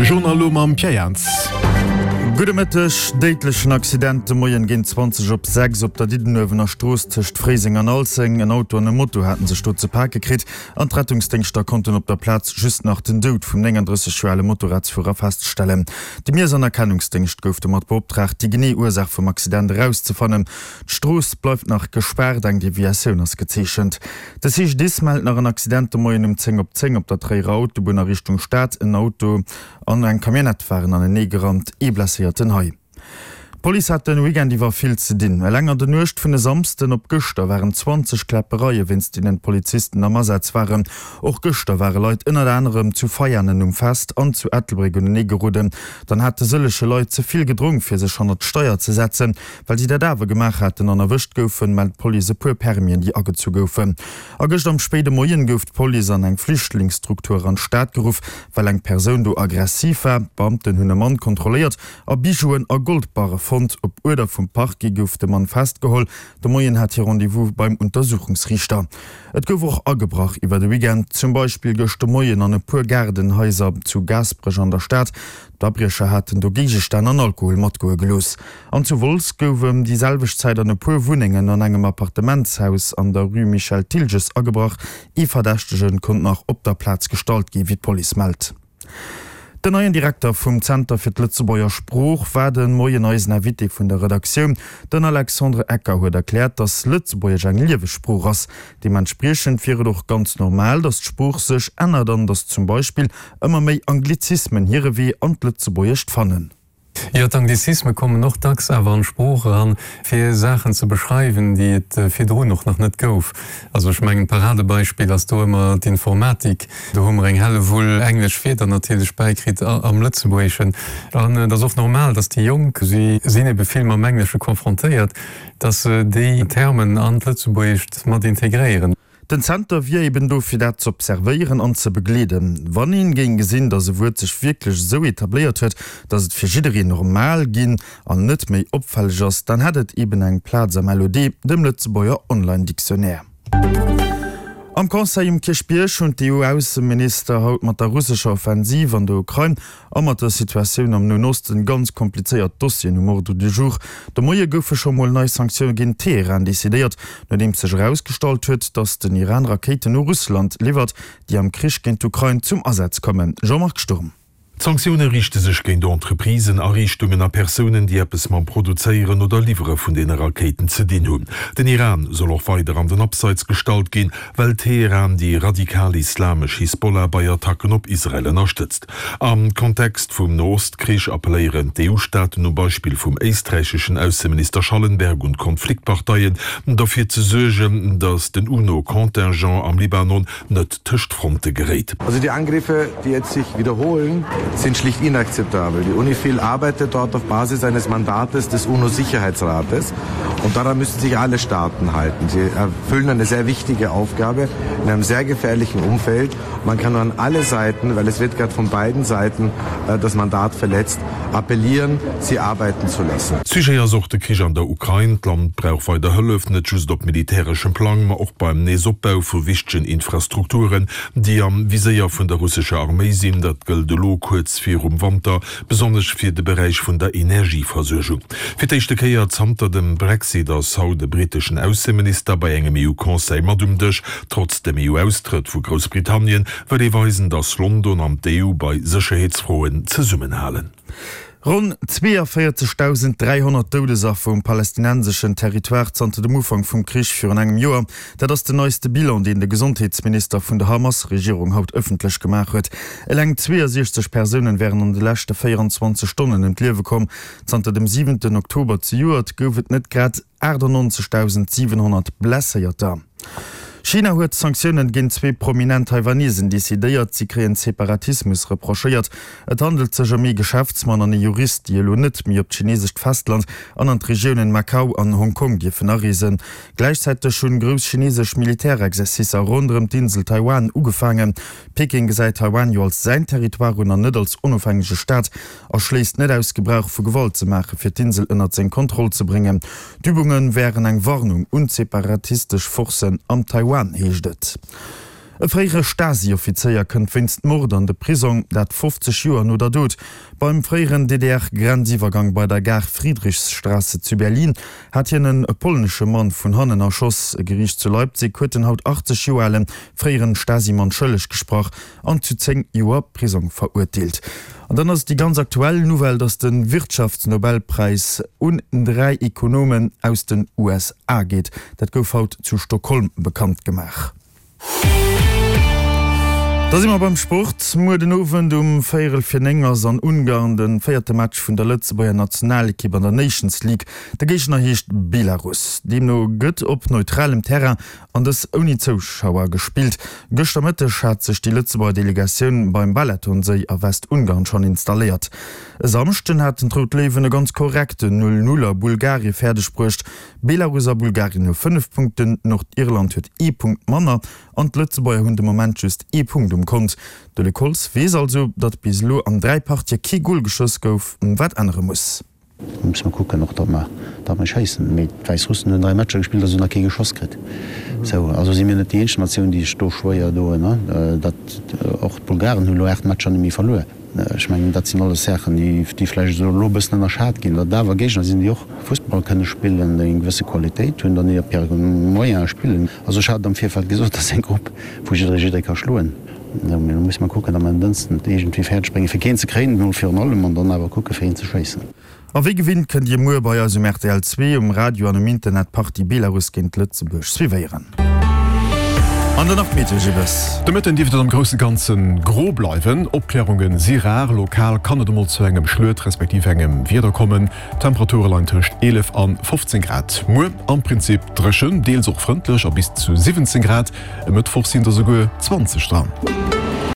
De Journal elo mam Pierre Jans. Gudde Mëtteg. Déidlechen Accident de Moien géint 20 op 6 op der Diddenuewener Strooss tëscht Fréiseng an Alzeng. En Auto an e Moto haten sech do ze pake kritt an d'Rettungsdéngschter konnten op der Plaz just nach den Doud vum 39 Joer ale Motorradsfuerer feststellen. De Miess an Erkennungsdéngscht gouf domat beoptraagt, déi genee Ursaach vum Accident erauszefannen. D'Strooss bleift nach gespaart, eng Deviatioun ass gezeechent. De CGDIS mellt nach en Accident de Moien um 10 op 10 op der Tréierer Autobunn a Richtung Stad. En Auto an eng Camionnette waren anenee gerannt, ee Blesséierten hei. D'Police hat de Weekend iwwer vill ze dinn. Eleng an der Nuecht vun e Samsden op gëschter waren 20 Kläppereie wéinst deenen d'Polizisten am Asaz waren. Och gëschter ware Leit ënnert anerem zu Veianen um Fest an zu Ettelbréck unenee geroden. Dann hate sëllege Leit ze vill gedronk fir sech hannert d'Steier ze setzen. Well si dat awer gemaach haten an erwëscht goufen, mellt d'Police e puer Permien, déi agezu goufen. A gëscht am spéide Moien gouf d'Police an eng Flüchtlingsstruktur an d'Stad geruff, well eng Persoun do aggressiv war. D'Beamten hunn e Mann kontrolléiert a Bijouen a Goldbarre fonnt. Op Uerder vum Parquet gouf de Mann festgeholl. De Moien hat hie Rendez-vous beim Untersuchungsriichter. Et gouf och agebrach iwwer de Weekend, zum Beispill gëscht de Moien an e puer Gaardenhaiser zu Gaasperech an der Stad. D'Abriecher haten do Géigestänn an Alkohol matgoe gelooss. An zu Wolz gouf ëm déi selwecht Zäit an e puer Wunnengen an engem Appartementshaus an der Rue Michel Thilges agebrach. Ee Verdächtege konnt nach op der Plaz gestallt ginn, wéi d'Police mellt. Den neien Direkter vum Zenter fir d'Lëtzebuerger Sprooch war de Moien eisen Invité vun der Redaktioun. Den Alexandre Ecker huet erkläert, datt Lëtzebuergesch eng lieweg Sprooch ass. Deementspriechend wier et och ganz normal, datt d'Sprooch sech ännert an datt zum Beispill ëmmer méi Anglizismen hire Wee an d'Lëtzebuergescht fannen. Jo, d'Anglizisme kommen och dacks awer an d'Sprooch eran, fir Saachen ze beschreiwen, déi et virdrun och nach net gouf. Also ech mengen, d'Paradebeispill ass do ëmmer d'Informatik. Do hu mer eng Hellewull englesch Wierder natierlech bäikritt am Lëtzebuergeschen. An et ass och normal, dass déi Jonk, si sinn ebe vill mam Englesche confrontéiert, dass se déi Termen an d'Lëtzebuergescht mat integréieren. Den Zenter wier eben do fir dat z'observéieren an ze begleeden. Wann een géing gesinn, datt e Wuert sech wierklech esou etabléiert huet, datt et fir jiddereen normal ginn an net méi opfälleg ass, dann hätt et eben eng Plaz am LOD, dem Lëtzebuerger Online Dictionnaire. Am Conseil um Kierchbierg hunn d'EU-Ausseminister haut mat der russescher Offensiv an der Ukrain A mat der Situatioun am Noen Osten ganz komplizéiert Dossieren um Ordre du jour. De Moie goufe scho mol nei Sanktioune géint Teheran decidéiert, nodeems sech erausgestallt huet, datt den Iran Rakéiten u Russland liwwert, déi am Krich géint d'Ukrain zum Asaz kommen. Jean-Marc Sturm. D'Sanktioune riichte sech géint Entreprisen, Ariichtungen a Persounen, déi eppes mam Produzéieren oder Liwwere vun deene Rakéiten ze dinn hunn. Den Iran soll och weider an den Abseits gestallt ginn, well Teheran déi radikal-islamesch Hisbollah bei Attacken op Israel ënnerstëtzt. Am Kontext vum No-Ost-Krich appelléieren d'EU-Staaten um Beispill vum éisträicheschen Ausseminister Schallenberg un d'Konfliktparteien, derfir ze suergen, datt den UNO-Contingent am Libanon net tëscht d'Fronte geréit. Also die Angriffe, die jetzt sich wiederholen, sind schlicht inakzeptabel. Die UNIFIL arbeitet dort auf Basis eines Mandates des UNO-Sicherheitsrates und daran müssen sich alle Staaten halten. Sie erfüllen eine sehr wichtige Aufgabe in einem sehr gefährlichen Umfeld. Man kann nur an alle Seiten, weil es wird gerade von beiden Seiten äh, das Mandat verletzt, appellieren, sie arbeiten zu lassen. Sujet ass och de Krich an der Ukrain. D'Land brauch weider Hëllef, net just op militäreschem Plang, ma och beim Neesopbau vu wichtegen Infrastrukturen, déi am Viséier vun der russescher Arméi sinn. Dat gëllt elo kuerz virum Wanter besonnesch fir de Beräich vun der Energieversuergung. Fir d'éischte Kéier zanter dem Brexit ass haut e britteschen Ausseminister bei engem EU-Conseil mat um Dësch. Trotz dem EU-Austrëtt vu Groussbritannien wëll ee weisen, datt London an d'EU bei Sécherheetsfroen zesummenhalen. Ronn 42.300 Doudesaffer um palästinenseschen Territoire zanter dem Ufank vum Krich virun engem Joer, dat ass den neiste Bilan, deen de Gesondheetsminister vun der Hamas-Regierung haut ëffentlech gemaach huet. Eleng 62 Persounen wären an de leschte 24 Stonnen ëm d'Liewe komm. Zanter dem siwenten Oktober zejoert gouf et net grad 98.700 Blesséierter. China huet Sanktiounen géint zwee prominent Taiwanesen decidéiert. Si kréien Separatismus reprochéiert. Et handelt sech ëm ee Geschäftsmann an ee Jurist, déi elo net méi op d'chinesescht Festland an an d'Regiounen Macau an Hong Kong dierfen areesen. Gläichzäiteg hunn grouss chinesesch Militärexercicer ronderëm d'Insel Taiwan ugefaangen. Peking gesäit Taiwan jo als säin Territoire un an net als onofhängege Staat a schléisst net aus, Gebrauch vu Gewalt ze maachen, fir d'Insel ënnert seng Kontroll ze bréngen. D'Übunge wären eng Warnung un d'separatistesch Forcen am Taiwan, heescht et. E fréiere Stasi-Offizéier kënnt wéinst Mord an de Prisong, dat 50 Joer no der Dot. Beim fréieren DDR-Grenziwwergang bei der Gare Friedrichsstraße zu Berlin hat hien e polnesche Mann vun hannen erschoss. E Geriicht zu Leipzig huet den haut 80 Joer ale fréieren Stasi-Mann schëlleg gesprach an zu 10 Joer Prisong verurteelt. An dann ass et déi ganz aktuell Nouvelle, datt de Wirtschaftsnobelpräis un 3 Ekonomen aus den USA geet. Dat gouf haut zu Stockholm bekannt gemaach. Da si mer beim Sport. Muer den Owend um véierel fir 9 ass an Ungarn de véierte Match vun der Lëtzebuerger Nationalekipp an der Nations League. De Géigner heescht Belarus. Deemno gëtt op neutralem Terrain an dës ouni Zouschauer gespillt. Gëschter Mëtteg hat sech déi Lëtzebuerger Delegatioun beim Balatonséi a Westungarn schonn installéiert. E Samschden haten d'Rout Léiwen e ganz korrekten 0, 0 a Bulgarie fäerdeg bruecht. Belarus a Bulgarien hu 5 Punkten, Nordirland huet ee Punkt manner an d'Lëtzebuerger hunn de Moment just ee Punkt um Kont. De Luc Holtz weess also, datt bis elo an 3 Partië kee Gol geschoss gouf, wat ännere muss. Da musse mer kucken och, datt mer, datt mer schéissen. Mee d'Wäissrussen hunn 3 Matcher gespillt a se hunn nach kee geschoss kritt. Sou, also si mir net déi eenzeg Natioun, déi sech do schwéier doen. Dat, och d'Bulgaren hu lo 8 Matcher net méi verluer. Ech mengen, dat sinn alles Saachen, déi vläicht elo e bëssen ënnerschat ginn, datt et awer Géigner sinn, déi och Fussball kënne spillen, déi eng gewësse Qualitéit hunn, dann op hire Moyene spillen. Also ech hat et am Virfeld gesot, dat ass eng Grupp, wou jidderee jidderee ka schloen. Mee elo musse mer kucken, datt mer en Dënschden et iergendwéi fäerdeg bréngen, fir keen ze kréien, emol virun allem, an dann awer kucke fir een ze schéissen. A wéi gewinnt kënnt Dir muer bei eis um rtl 2, um Radio an um Internet d'Partie Belarus géint Lëtzebuerg suivéieren. An dann nach d'Meteo Gilles. De Mëtten dierft et am grousse Ganze gro bleiwen, Opklärunge si rar. Lokal kann et emol zu engem Schluet respektiv engem Wieder kommen. D'Temperature leien tëscht 11 an 15 Grad. Muer am Prinzip dréchen, deels och frëndlech a bis zu 17 Grad. E Mëttwoch sinn der souguer 20 dran.